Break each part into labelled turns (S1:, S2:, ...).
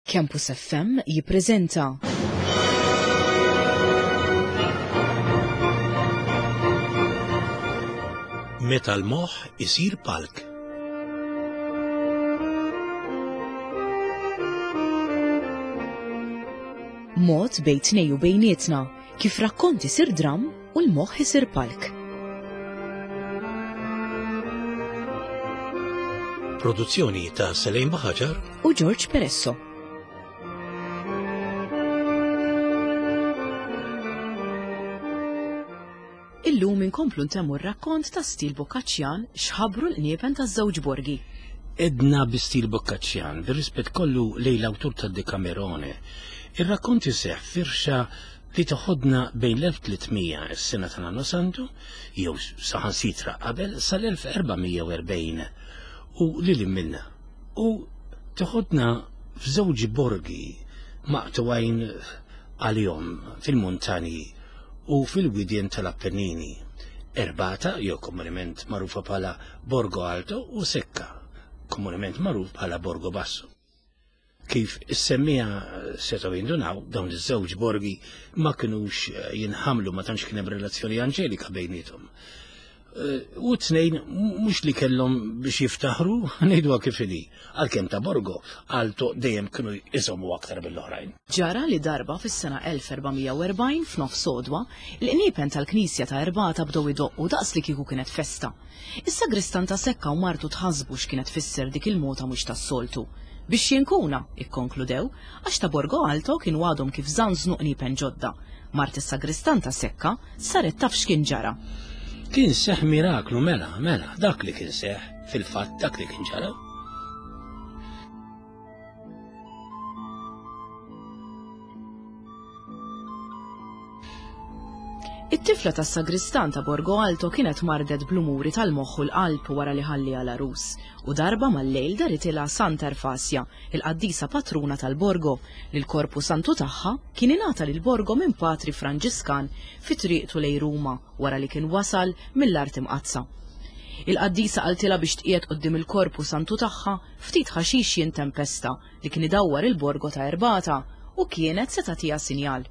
S1: Campus FM jippreżenta.
S2: Meta l-moħħ isir palk.
S1: Mod bejn tnej u bejnietna kif rakkont isir dramm u l-moħħ isir palk.
S2: Produzzjoni ta' Selejn Baħaġar
S1: u George Peresso. Illum inkomplu ntemmu r-rakkont ta' stil Boccaccian x'ħabbru l-qniepen taż-żewġ borgi.
S2: Edna bi stil Boccaccian, bir-rispett kollu lejn l-awtur tad-Decamerone. Ir-rakkont iseħħ firxa li toħodna bejn l-1300, is-sena ta' Nannu Santu, jew saħansitra qabel, sal-1440 u lil hinn minnha. U toħodna f'żewġ borgi maqtugħin għalihom fil-muntanji u fil-widien tal-Appennini, Erbata, jew komunement magħrufa bħala Borgo Alto, u Secca, komunement magħruf bħala Borgo Basso. Kif is-semmiegħa setgħu jindunaw, dawn iż-żewġ borgi ma kinux eh, jinħamlu ma tantx kien hemm relazzjoni anġelika bejniethom. Eh, u t-tnejn mhux li kellhom biex jiftaħru, ngħiduha kif inhi, għalkemm ta' Borgo Alto dejjem kienu jżommu aktar mill-oħrajn.
S1: Ġara li darba fis-sena 1440 f'nofs għodwa, l-qniepen tal-knisja ta' Erbata bdew idoqqu daqs li kieku kienet festa. Is-sagristan ta' Sekka u martu tħassbu x'kienet tfisser dik il-mota mhux tas-soltu. Biex jinkuna, ikkonkludew, għax ta' Borgo Alto kienu għadhom kif żanżnu qniepen ġodda. Mart is-sagristan ta' Sekka saret taf x'kien ġara.
S2: Kien seħħ miraklu mela, mela, dak li kien seħħ, fil-fatt dak li kien ġara.
S1: It-tifla tas-sagristan ta' Borgo Alto kienet mardet bl-umuri tal-moħħ u l-qalb wara li ħalliha l-għarus, u darba mal-lejl daritilha Santa Erfasia, il-qaddisa patruna tal-Borgo, li l-korpu santu tagħha kien ingħata lil Borgo minn patri Franġiskan fi triqtu lejn Ruma wara li kien wasal mill-Art Imqaddsa. Il-qaddisa qaltilha biex tqiegħed quddiem il-korpu santu tagħha ftit ħaxix jintempesta li kien idawwar il-Borgo ta' Erbata u kienet se tagħtiha sinjal.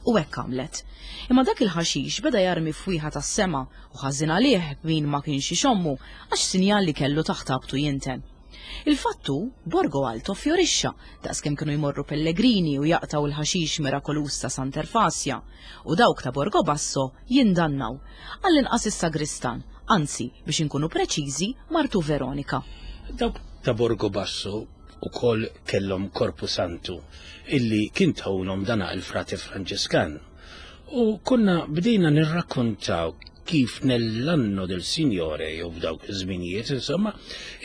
S1: U hekk għamlet. Imma dak il-ħaxix beda jarmi fwieħa tas-sema u ħażin għalih min ma kienx ixommu għax sinjal li kellu taħt abtu jinten. Il-fatt hu, Borgo Alto fjorixxa daqskemm kienu jmorru pellegrini u jaqtgħu l-ħaxix mirakoluż ta' Sant'Erfasja u dawk ta' Borgo Basso jindannaw, għall-inqas is-sagristan, anzi, biex inkunu preċiżi, martu Veronika.
S2: Dawk ta' Borgo Basso ukoll kellhom Korpu Santu illi kien tawlhom dana il-Frate Franġiskan. U konna bdejna nirrakkontaw kif nell'anno del Signore jew f'dawk iż-żminijiet insomma,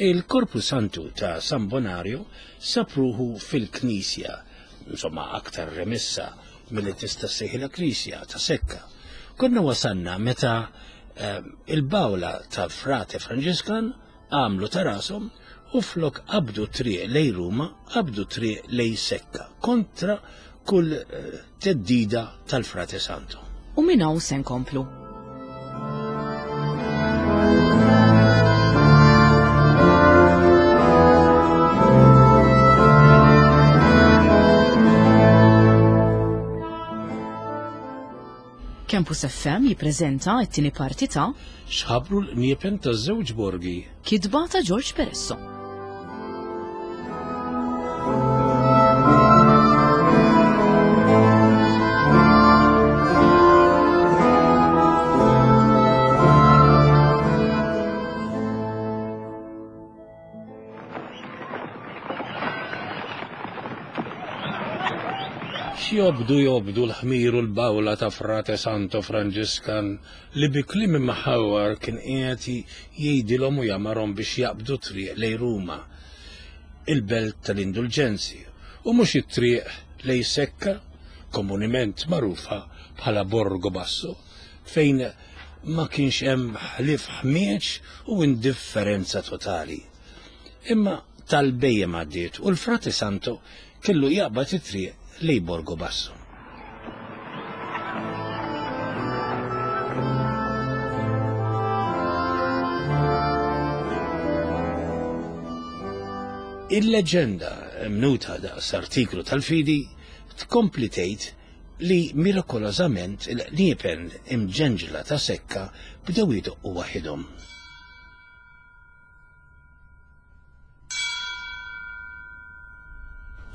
S2: il-Korpu Santu ta' San Bonario sab ruħu fil-knisja, insomma aktar remissa milli tista' ssejħilha knisja ta' Sekka. Konna wasalna meta eh, il-bawla ta' Frate Franġiskan għamlu ta' rashom u flok qabdu triq lej Ruma, qabdu triq lej Sekka, kontra kull eh, teddida tal-Frate Santo.
S1: U minn hawn se nkomplu. Campus FM jippreżenta t-tieni parti ta'
S2: X'ħabru l-qniepen taż-żewġ borgi.
S1: Kitba ta' George Peresso.
S2: X'jobdu jobdu l-ħmir u l-bawla ta' Frate Santo Franġiskan li bi kliem imħawwar kien qiegħed jgħidilhom u jamarhom biex jaqbdu triq lejn Ruma, il-belt tal-indulġenzi, u mhux it-triq lejn Secca, komunement magħrufa bħala Borgo Basso, fejn ma kienx hemm ħlief ħmieġ u indifferenza totali. Imma tal-bhejjem għaddiet u l-Frate Santo kellu jaqbad it-triq lejn Borgo Basso. Il-leġenda. mnuta daqs artiklu tal-fidi, tkompli tgħid li mirakolożament il-qniepen imġenġla ta' Sekka bdew idoqqu waħidhom.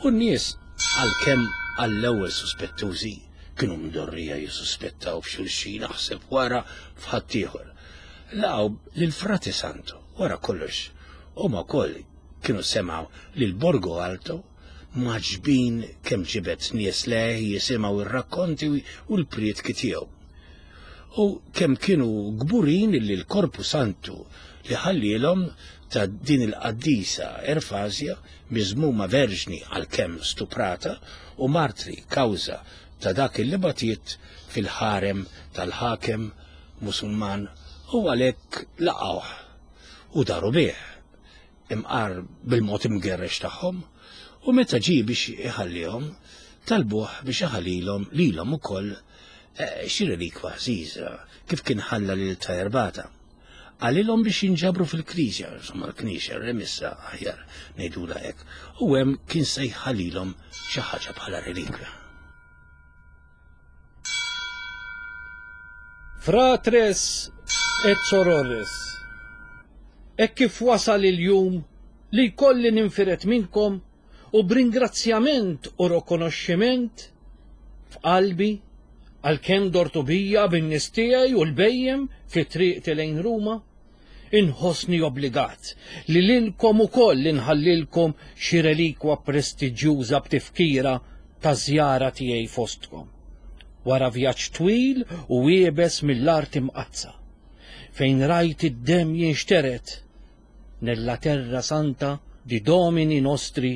S2: U n-nies, għalkemm għall-ewwel suspettużi, kienu mdorrija jissuspettaw f'xulxin aħseb wara f'ħaddieħor. Laqgħu lil Frate Santo, wara kollox, huma wkoll kienu semgħu li l-Borgo Alto mgħaġġbin kemm ġibed nies lejh jisimgħu r-rakkonti u l-prietki tiegħu. U kemm kienu kburin li l-Korpu Santu li ħallielhom ta' din il-qaddisa Erfasja, miżmuma verġni għalkemm stuprata u martri kawża ta' dak illi batiet fil-ħarem tal-ħakem Musulman u għalhekk laqgħuh u daru bih. imqar bil-mod imgerrex tagħhom, u meta ġie biex iħallihom, talbuh biex iħallilhom lilhom ukoll eh, xi relikwa għażiża, kif kien ħalla lil ta' Erbata. Qalilhom biex jinġabru fil-knisja, insomma l-knisja remissa aħjar ngħidula hekk, u hemm kien se jħallilhom xi ħaġa bħala relikwa.
S3: Fratres et sorores, hekk kif wasal il-jum li jkolli ninfired minnkom u b'ringrazzjament u rokonoxximent f'qalbi għalkemm dortu bija bin-nies tiegħi u l-bhejjem fi triqti lejn Ruma, Inħossni obbligat li lilkom ukoll inħallilkom xi relikwa prestiġjuża b'tifkira taż-żjara tiegħi fostkom, wara vjaġġ twil u iebes mill-Art Imqaddsa, fejn rajt id-demm jinxtered nella terra santa di Domini nostri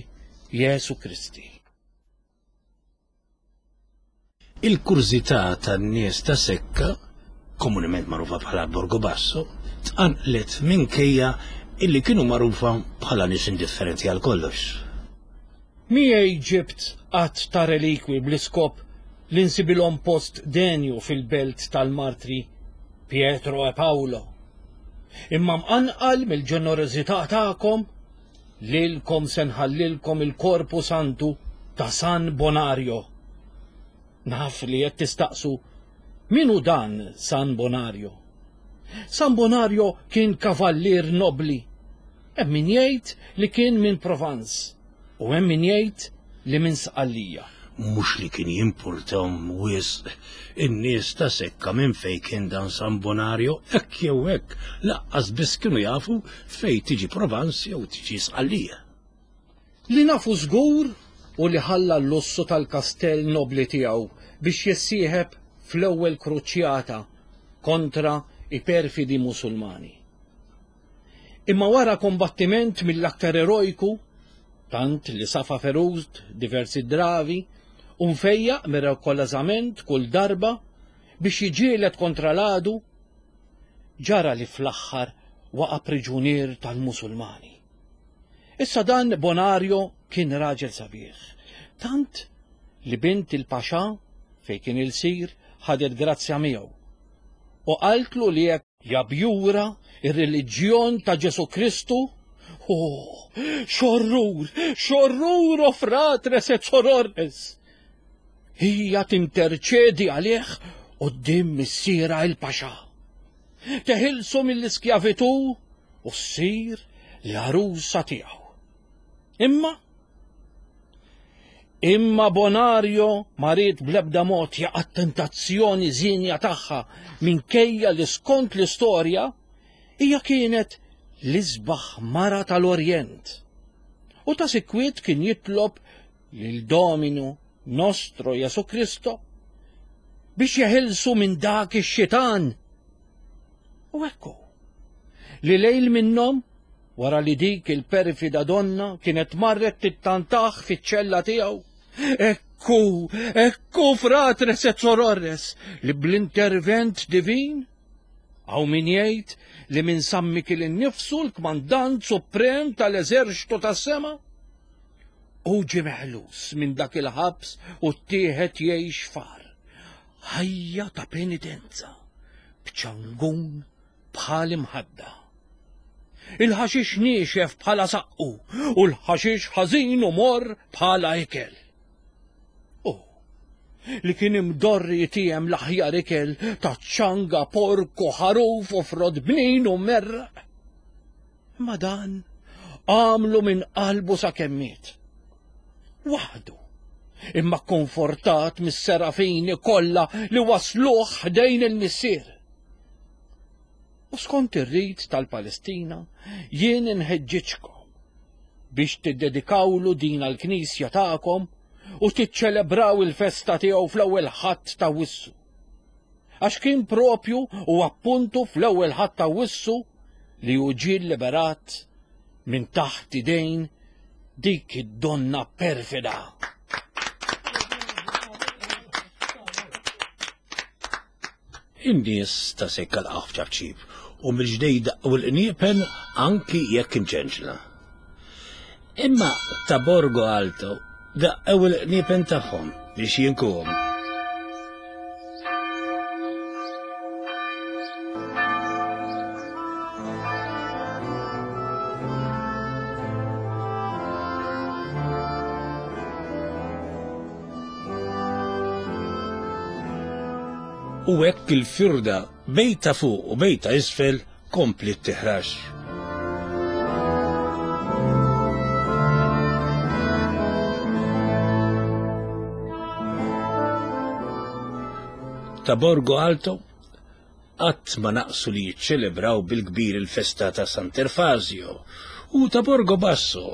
S3: Jesu Christi.
S2: Il-kurżità tan-nies ta' Secca, komunement magħrufa bħala Borgo Basso, tqanqlet minkejja illi kienu magħrufa bħala nies indifferenti għal kollox.
S3: Miegħi ġibt għadd ta' relikwi bl-iskop li nsibilhom post denju fil-belt tal-martri Pietro e Paolo. Imma mqanqal mill-ġenerożità tagħkom, Lilkom se nħallilkom il-Korpu Santu ta' San Bonario. Naf li qed tistaqsu, min hu dan San Bonario? San Bonario kien kavallier nobbli. Hemm min jgħid li kien minn Provence u hemm min jgħid li minn Sqallija.
S2: Mhux li kien jimpurtahom wisq in-nies ta' Sekka minn fejn kien dan San Bonario, hekk jew hekk, lanqas biss kienu jafu fejn tiġi Provence jew tiġi Sqallija.
S3: Li nafu żgur hu li ħalla l-lussu tal-kastell nobbli tiegħu biex jissieħeb fl-ewwel kruċjata kontra i perfidi Musulmani. Imma wara kombattiment mill-aktar erojku, tant li safa ferut diversi dravi, u mfejjaq mirakolożament kull darba biex jiġġieled kontra l-għadu, ġara li fl-aħħar waqa' priġunier tal-Musulmani. Issa dan Bonario kien raġel sabiħ, tant li bint il-Paxà fejn kien ilsir ħadet grazzja miegħu u qaltlu li jekk Jabjura r-reliġjon ta' Ġesù Kristu? Oh, x'orrur, x'orrur, o fratres et sorores! Hija tinterċedi għalih quddiem missierha il-Paxà. Teħilsu mill-iskjavitù u ssir l-għarusa tiegħu. Imma Imma Bonario ma ried bl-ebda mod jaqa' t-tentazzjoni żienja tagħha minkejja li skont l-istorja hija kienet l-isbaħ mara tal-Orjent. U ta' sikwit kien jitlob lil Dominu Nostro Jesu Kristo biex jeħilsu minn dak ix-xitan. U ekku, li lejl minnhom Wara li dik il-perfida donna kienet marret tittantah fiċ-ċella tiegħu. Ekku, ekku fratres et sorores li bl-intervent divin hawn min jgħid li minn San Mikiel innifsu l-kmandant suprem tal-eżerċtu tas-sema hu ġie meħlus minn dak il-ħabs u ttieħed jgħix far ħajja ta' penitenza b'ċangun bħal imħadda. Il-ħaxix niexef bħala saqqu u l-ħaxix ħażin u morr bħala ikel. U li kien imdorri jtiem l-aħjar ikel ta' ċanga, pork u ħaruf u frott bnin u merraq. Imma dan għamlu minn qalbu sakemm miet. Waħdu, imma kkonfortat mis-serafini kollha li wasluh ħdejn il-Missier. U skont ir-rit tal-Palestina, jien inħeġġiġkom biex tiddedikawlu din għall-knisja tagħkom u tiċċelebraw il-festa tiegħu fl-ewwel Ħadd ta' Wissu. Għax kien propju u appuntu fl-ewwel Ħadd ta' Wissu li hu ġie liberat minn taħt idejn dik id-donna perfida.
S2: In-nies ta' sekka laqgħu f'ċapċip u mill-ġdejn daqqu l-qniepen anki jekk imċenċla. Imma ta' Borgo Alto daqqew il-qniepen tagħhom biex jinkuhom. U hekk il-firda bejn ta' fuq u bejn ta' isfel kompliet tiħrax. Ta' Borgo Alto Qatt ma naqsu li jiċċelebraw bil-kbir il-festa ta' Sant'Erfasio u ta' Borgo Basso,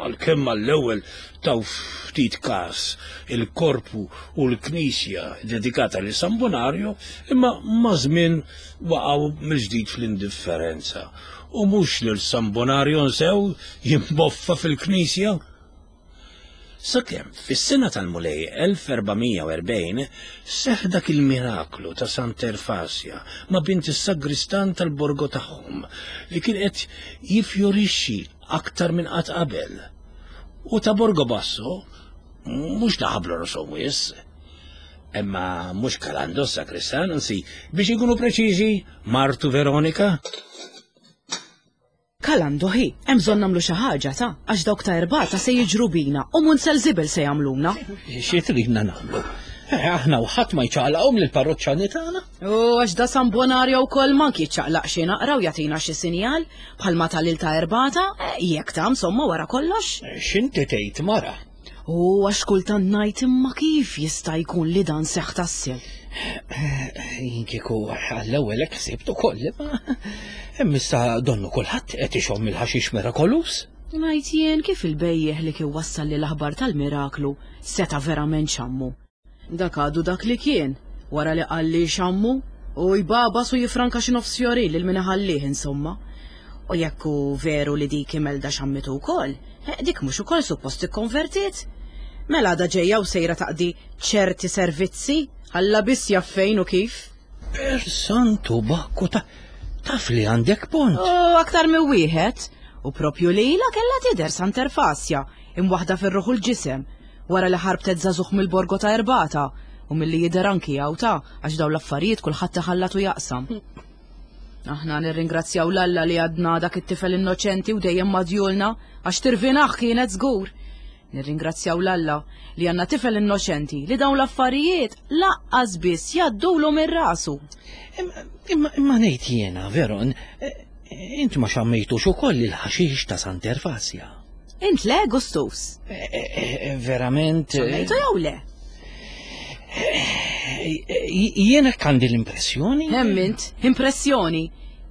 S2: għalkemm għall-ewwel taw ftit kas il-korpu u l-knisja dedikata lil San Bonario, imma maż-żmien waqgħu mill-ġdid fl-indifferenza. U mhux lil San Bonario nsew jimboffa fil-knisja! Sakemm fis-sena tal-Mulej 1440 seħħ dak il-miraklu ta' Sant'Erfasja ma' bint is-sagristan tal-Borgo tagħhom li kien qed jiffjorixxi aktar minn qatt qabel. U ta' Borgo Basso mhux ta' ħablu rashom wisq. Imma mhux Kalando s-sagristan, anzi biex inkunu preċiżi, martu Veronika.
S1: Kalando ħi, hemm bżonn nagħmlu xi ħaġa ta' għax dawk ta' erbata se jiġru bina u munzel żibel se jagħmluna.
S3: Xi tridna nagħmlu? Eh, aħna u ħadd ma jċaqlaqhom lill-parroċċani tagħna.
S1: U għax da San Bonario wkoll mank jiċċaqlaq xi naqra u jagħtina xi sinjal bħalma tal-il ta' erbata, eh, jekk ta' insomma wara kollox.
S3: Eh, x'inti tgħid mara?
S1: U għax kultant ngħid imma kif jista' jkun li dan seħħ tassew?
S3: Jien kieku għall-ewwel hekk ħsibt ukoll, imma hemm issa donnu kulħadd qed ixomm il-ħaxix mirakolus.
S1: Ngħid jien kif il-bejjiegħ li kien wassalli l-aħbar tal-miraklu seta' verament xammu. Dak għadu dak li kien, wara li qalli xammu, u jbagħbas u jiffranka xi nofs fjorin lil min iħallih insomma. U jekk hu veru li dik Imelda xammitu wkoll, eh, dik mhux ukoll suppost ikkonvertiet? Mela għadha ġejja u sejra taqdi ċerti servizzi, Alla biss jaf fejn u kif.
S3: Per santu Bakku ta' taf li għandek punt.
S1: U aktar minn wieħed. U propju lilha kellha tidher Sant'Erfasja, imwaħħda fir-ruħ u l-ġisem, wara li ħarbtet żagħżugħ mill-Borgo ta' Erbata, u milli jidher anki hawn ta' għax dawn l-affarijiet kulħadd iħallat u jaqsam. Aħna nirringrazzjaw l-Alla li għadna dak it-tifel innoċenti u dejjem madjulna għax tirvinah kienet żgur. Nirringrazzjaw l-Alla li għandna tifel innoċenti li dawn l-affarijiet laqqas biss jgħaddulu minn rasu.
S3: Imma imma ngħid jiena, Veron, eh, int ma xammejtux ukoll il-ħaxix ta' Sant'Erfasja.
S1: Int le, Gustus?
S3: Eh, eh, verament.
S1: Xammejtu jew le?
S3: Jiena għandi l-impressjoni.
S1: Hemm int, impressjoni.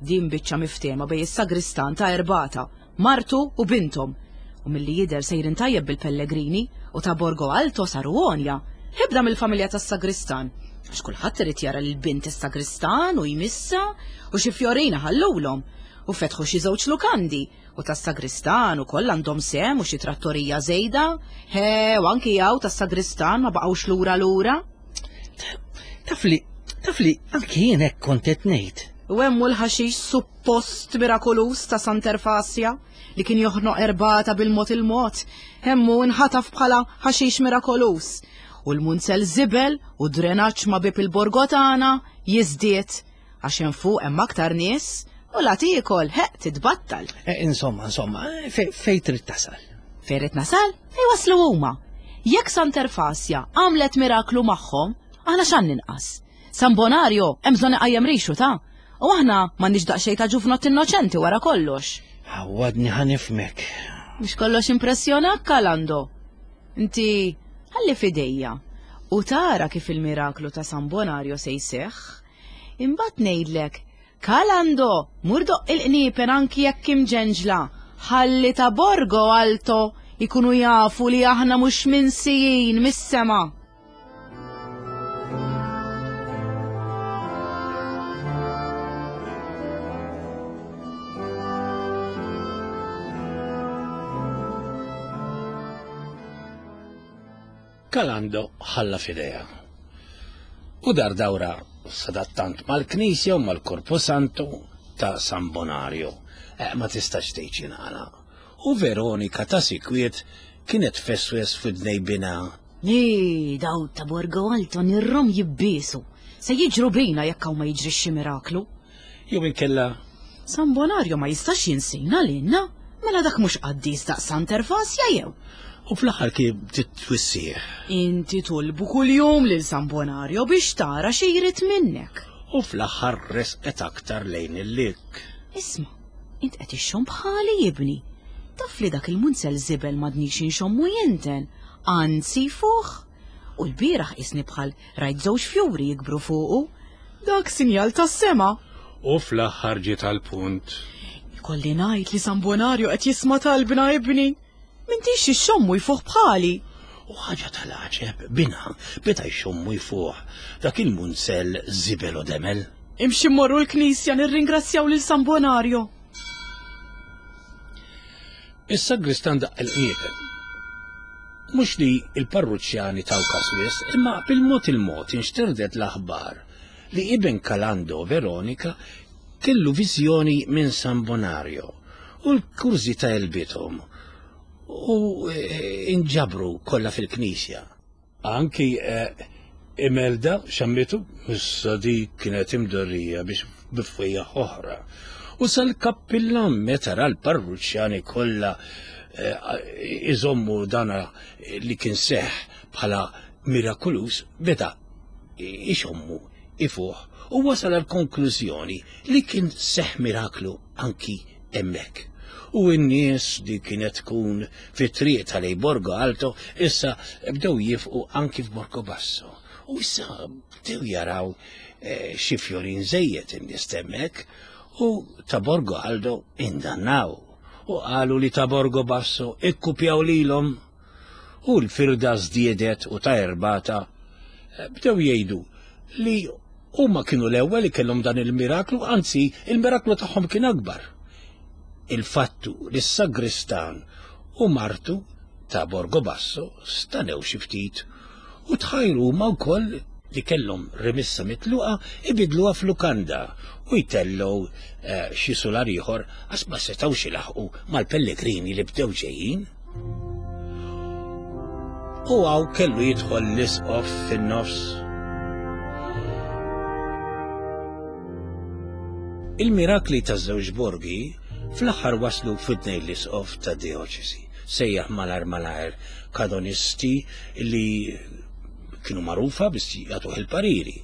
S1: Din biċċa miftema bej is-sagristan ta' Erbata, martu u binthom. U milli jidher sejrin tajjeb bil-pellegrini u ta' Borgo Alto saru għonja. Ħibda mill-familja tas-sagristan. Għax kulħadd irid jara lil bint is-sagristan u jmissha u xi fjorina ħallulhom. U fetħu xi żewġ lukandi U tas-sagristan ukoll għandhom sehem u xi trattorija żejda. He, u anki hawn tas-sagristan ma baqgħux lura lura.
S3: Taf li, taf li anki jien hekk kont qed ngħid.
S1: U hemm hu l-ħaxix suppost mirakoluż ta' Sant'Erfasja li kien joħnoq erbata bil-mod il-mod. Hemm hu nħataf bħala ħaxix mirakoluż. U l-munzel żibel u drenaġġ ma' bieb il-Borgo tagħna jiżdied. Għax hemm fuq hemm aktar nies U la tiekol, ħeq titbattal.
S3: Eh, insomma, insomma, eh, fej trid tasal?
S1: Fej trid nasal? Fej waslu huma. Jekk Sant'Erfasja għamlet miraklu magħhom, aħna x'għan ninqas. San Bonario hemm bżonn iqajjem rixu ta' u aħna m'għandniex daqsxejn ta' ġufnott innoċenti wara kollox.
S3: Għawadni ħanifmek.
S1: Mhux kollox impressjonak Kalando. Inti ħalli fidejja u tara kif il-miraklu ta' San Bonario se jseħħ. Imbagħad ngħidlek Kalando, mur doqq il-qniepen anki jekk imġenġla, ħalli ta' Borgo Alto jkunu jafu li aħna mhux minsijin mis-sema.
S2: Kalando ħalla f'idejha. U dar dawra sadattant mal-knisja u mal-Korpo Santo ta' San Bonario. Eh, ma tistax tgħid x'ingħala. U Veronika ta' sikwiet kienet feswes f'idnej binha.
S1: Ni, daw ta' Borgo Alto nirrom jibbiesu. Se jiġru bina jekk hawn ma jiġrix xi miraklu.
S2: Jew inkella.
S1: San Bonario ma jistax jinsina lilna, mela dak mhux qaddis daqs Sant'Ervasja jew?
S2: U fl-aħħar kif bdiet twissih.
S1: Inti tolbu kuljum lil San Bonario biex tara xi jrid minnek.
S2: U fl-aħħar resqet aktar lejn il-likk.
S1: Isma', int qed ixxomm bħali ibni. Taf li dak il-munzell żibel m'għadnix inxommu jinten, anzi jfuħ. U l-bieraħ qisni bħal rajt żewġ fjuri jikbru fuqu. Dak sinjal tas-sema.
S2: U fl-aħħar ġiet għall-punt.
S1: Ikolli ngħid li San Bonario qed jisma' talbna ibni. M'intix ixxommu jfuħ bħali.
S2: U ħaġa tal-għaġeb, binha beda jxommu jfuħ dak il-munzell żibel u demel.
S1: Imxi mmorru l-knisja nirringrazzjaw lil San Bonario.
S2: Is-sagristan daqq il-qniepen. Mhux li l-parruċċjani taw każ wisq, imma bil-mod il-mod inxterdet l-aħbar li iben Kalando Veronika kellu viżjoni minn San Bonario u l-kurżità għelbithom u eh, inġabru kollha fil-knisja. Anki eh, Imelda xammitu, issa dik kienet imdorrija biex bifwejja oħra. U sal-kappillan meta ra l-parruċċjani kollha eh, iżommu dana li kien seħ bħala mirakulus beda ixommu ifuħ u wasal għal konklużjoni li kien seħ miraklu anki hemmhekk. U n-nies li kienet tkun fit-triq tal Borgo Alto issa bdew jifqu anki f'Borgo Basso. U issa bdew jaraw eh, xi fjorin żejjed in-nies hemmhekk u ta' Borgo Aldo indannaw u qalu li ta' Borgo Basso ikkupjaw lilhom u l-firda żdiedet u ta' erbata eh, bdew jgħidu li huma kienu l-ewwel li kellhom dan il-miraklu, anzi il-miraklu tagħhom kien akbar. Il-fattu li s-sagristan u martu ta' Borgo Basso stanew xi ftit u tħajru huma wkoll li kellhom rimissa mitluqa ibidluha f'lukanda u jtellgħu eh, xi sular ieħor għax ma setgħux ilaħqu mal-pellegrini li bdew ġejjin. U hawn kellu jidħol l-isqof fin-nofs. Il-mirakli taż-żewġ borgi fl-aħħar waslu f'widnej l-isqof ta' dioċesi. Sejjaħ malar malajr kanonisti li kienu magħrufa biex jagħtuh il-pariri.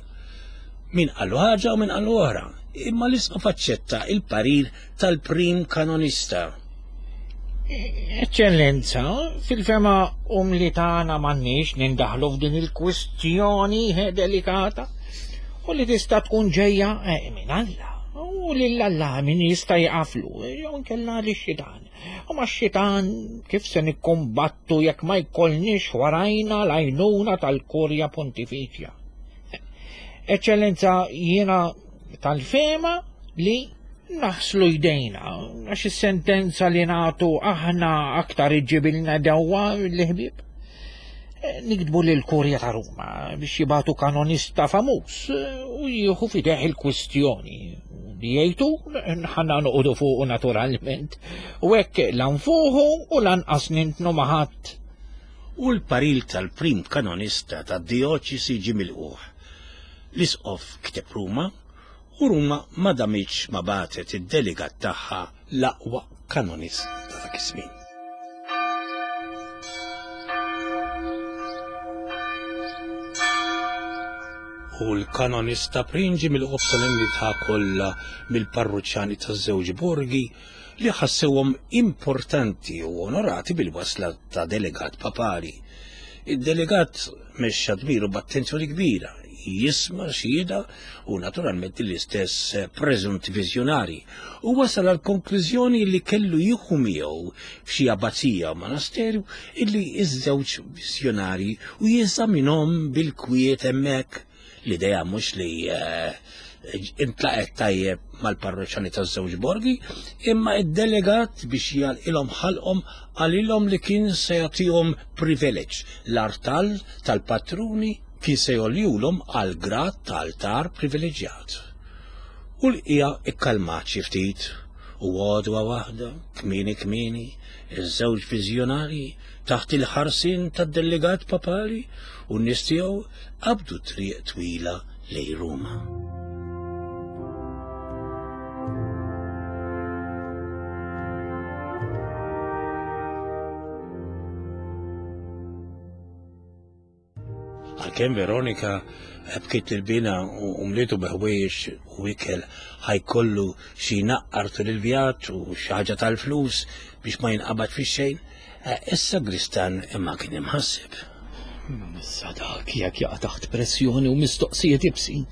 S2: Min qallu ħaġa u min qallu oħra. Imma l-isqof aċċetta il-parir tal-prim kanonista.
S4: Eċċellenza, fil-fema umli tagħna m'għandniex nindaħlu f'din il-kwistjoni delikata u li tista' tkun ġejja eh, minn Alla. U lil Alla min jista' jaqaflu, jew inkella li xitan. U ma xitan kif se nikkumbattu jekk ma jkollniex warajna l-għajnuna tal-Kurja Pontifiċja. Eċċellenza, jiena tal-fema li naħslu jdejna, għax is-sentenza li nagħtu aħna aktar iġġibilna dewwa l-ħbieb. Eh, niktbu lil kurja ta' Ruma biex jibatu kanonista famuż eh, u jieħu fideħ il-kwistjoni. Li jgħidu ħanna noqogħdu fuqu naturalment. U hekk lanfuħu u lanqas nintnu maħadd.
S2: U l-paril tal-prim kanonista tad-dioċesi ġie milqugħ. L-isqof kiteb Ruma. U Ruma ma damitx ma bagħtet id-delegat tagħha l-aqwa kanonist ta' dak iż-żmien. U l-kanonista Prinġi milqugħ b'solennità kollha mill-parruċċani taż-żewġ borgi li ħassewhom importanti u onorati bil-wasla ta' delegat papali. Id-delegat mexxa dmiru b'attenzjoni kbira, jisma' xhieda u naturalment l-istess preżunti viżjonari u wasal għal konklużjoni li kellu jieħu miegħu f'xi abbazija u monasterju illi iż-żewġ viżjonari u jeżaminhom bil-kwiet hemmhekk. L-idea mhux li eh, intlaqet tajjeb mal-parroċċani taż-żewġ borgi, imma id-delegat biex jgħalqilhom ħalqhom qalilhom li kien se jagħtihom privileġġ l-artal tal-patruni kien se jgħoljulhom għal grad ta' altar privileġġjat. U l-qija ikkalmat xi ftit u għodwa waħda, kmieni kmieni, iż-żewġ viżjonarji taħt il-ħarsien tad-delegat papali u n-nies tiegħu qabdu triq twila lejn Ruma. Għalkemm Veronika bkiet il-bina u mlietu bi ħwejjeġ u ikel ħajkollu xi jnaqqar tul il-vjaġġ u xi ħaġa tal-flus biex ma jinqabad fix-xejn, eh, issa Gristan imma kien imħasseb.
S3: Issa dak jekk jaqa' taħt pressjoni u mistoqsijiet ibsin.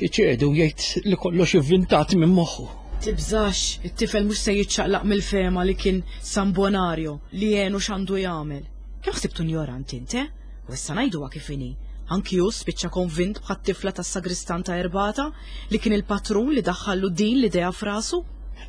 S3: Iċedu jgħid li kollox ivvintat minn moħħu.
S1: Tibżax, it-tifel mhux se jiċċaqlaq mill-fema li kien San Bonario li għenu x'għandu jagħmel. Kemm ħsibtu injorant int, eh? U issa ngħiduha kif inhi. Anki hu spiċċa konvint bħat-tifla tas-sagristan ta' Erbata li kien il-patrun li daħħallu din l-idea f'rasu.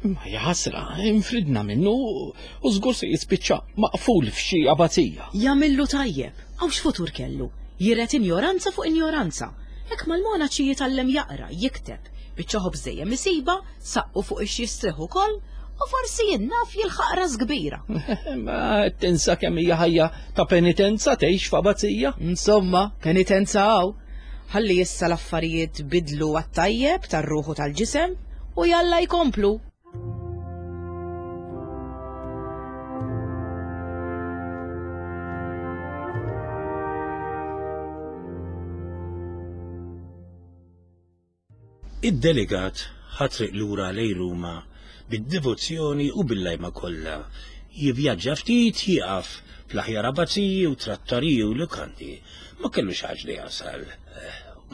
S3: Imma jaħasra, infridna minnu u żgur se jispiċċa maqful f'xi abazija.
S1: Jagħmillu tajjeb, hawn x'futur kellu? Jiret injoranza fuq injoranza. Hekk mal-monaċi jitgħallem jaqra, jikteb, biċċa ħobż dejjem isibha, Saqqu fuq ix jistrieħ ukoll u forsi jien naf jilħaq ras kbira.
S3: Ma tinsa kemm hija ħajja ta' penitenza tgħix f'abazija.
S1: Insomma, penitenza hawn. Ħalli issa l-affarijiet bidlu għat-tajjeb tar-ruħu tal-ġisem u jalla jkomplu.
S2: Id-delegat ħa triq lura lejn Ruma bid-devozzjoni u bil-lajma kollha. Jivvjaġġa ftit, jieqaf fl-aħjar abbaziji u trattoriji u lukandi. Ma kellux għaġla jasal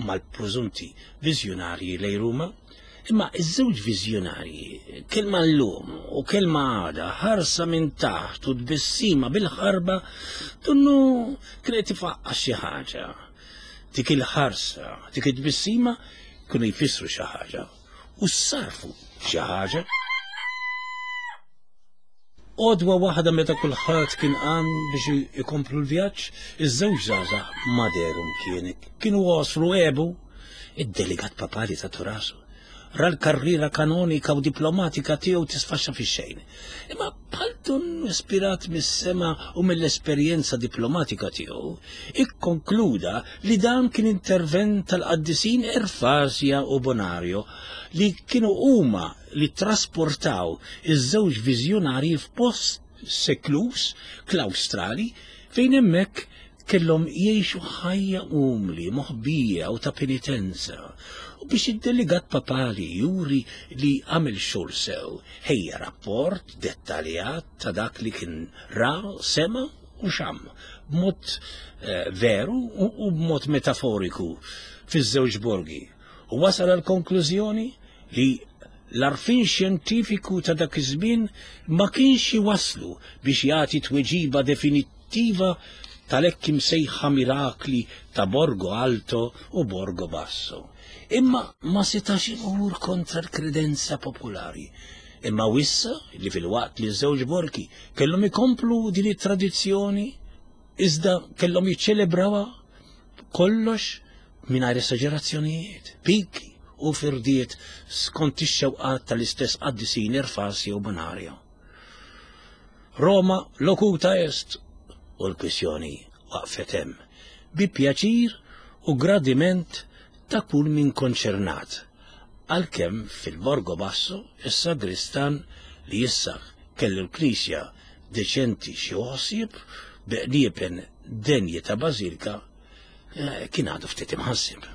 S2: mal-prużunti viżjonarji lejn Ruma. Imma iż-żewġ viżjonarji, kelma llum u kelma għada, ħarsa minn taħt u tbissima bil-ħarba, donnu kien qed ifaqqas xi ħaġa. Dik il-ħarsa, dik it-tbissima kienu jfissru xi ħaġa u ssarfu xi ħaġa. Għodwa waħda meta kulħadd kien qam biex ikomplu l-vjaġġ, iż-żewġ żgħażagħ ma dehru mkien. Kienu għosru għebu. Id-delegat papali ta' rasu. Ra l-karriera kanonika u diplomatika tiegħu tisfaxxa fix-xejn. Imma bħal dun ispirat mis-sema u mill-esperjenza diplomatika tiegħu, ikkonkluda li dan kien intervent tal-qaddisin Erfasja u Bonario li kienu huma li ttrasportaw iż-żewġ viżjonarji f'post seklus, klawstrali, fejn hemmhekk kellhom jgħixu ħajja umli, moħbija u ta' penitenza. U biex id-delegat papali juri li għamel xogħol sew, ħejja rapport dettaljat ta' dak li kien ra, sema u xamm, b'mod eh, veru u b'mod metaforiku fiż-żewġ borgi. U wasal għal konklużjoni li l-għarfien xjentifiku ta' dak iż-żmien ma kienx iwasslu biex jagħti tweġiba definittiva tal-hekk imsejħa mirakli ta' Borgo Alto u Borgo Basso. Imma ma setax imur kontra l-kredenza popolari. Imma wissa li filwaqt li ż-żewġ borgi kellhom ikomplu din it-tradizzjoni, iżda kellhom jiċċelebrawha kollox mingħajr esaġerazzjonijiet, piki u firdiet skont ix-xewqat tal-istess qaddisin Erfasio u Bonario. Roma locuta est u l-kwistjoni waqfet hemm, bi pjaċir u gradiment ta' kull min konċernat. Għalkemm fil-Borgo Basso is-sagristan li issa kellu l-knisja deċenti xi ħsieb bi qniepen denji ta' bażilka eh, kien għadu ftit imħassib.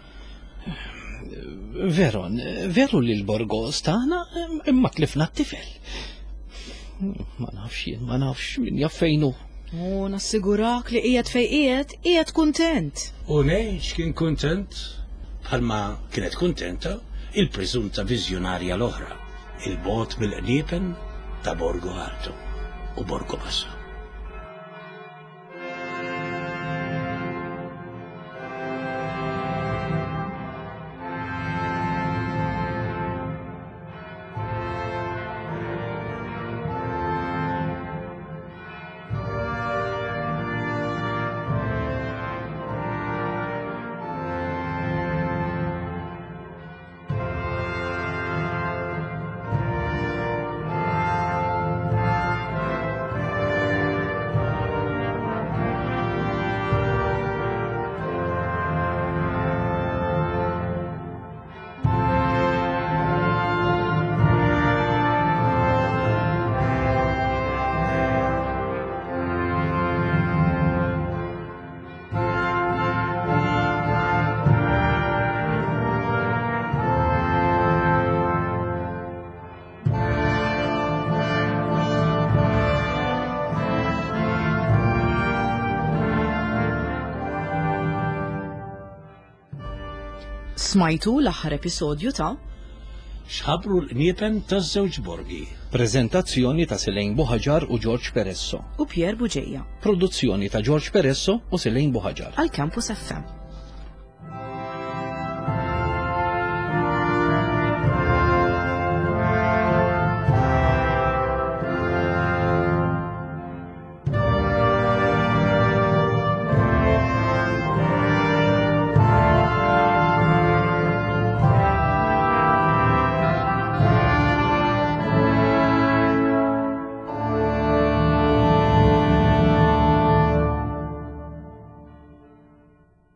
S3: Veron, veru li l-Borgo stana imma tlifna t-tifel. Ma nafx jien, ma nafx min jaf fejnu.
S1: U nassigurak li qiegħed fej qiegħed, qiegħed kuntent.
S2: U ngħix kien kuntent bħalma kienet kuntenta il-preżunta viżjonarja l-oħra, il-bogħod mill-qniepen ta' Borgo Alto u Borgo Basso.
S1: Smajtu l-aħħar episodju ta'
S2: X'ħabru l-qniepen taż-żewġ borgi.
S3: Preżentazzjoni ta' Selene Buhaġar u George Peresso.
S1: U Pierre Bugeja.
S3: Produzzjoni ta' George Peresso u Selene Buhaġar.
S1: Għal Campus FM.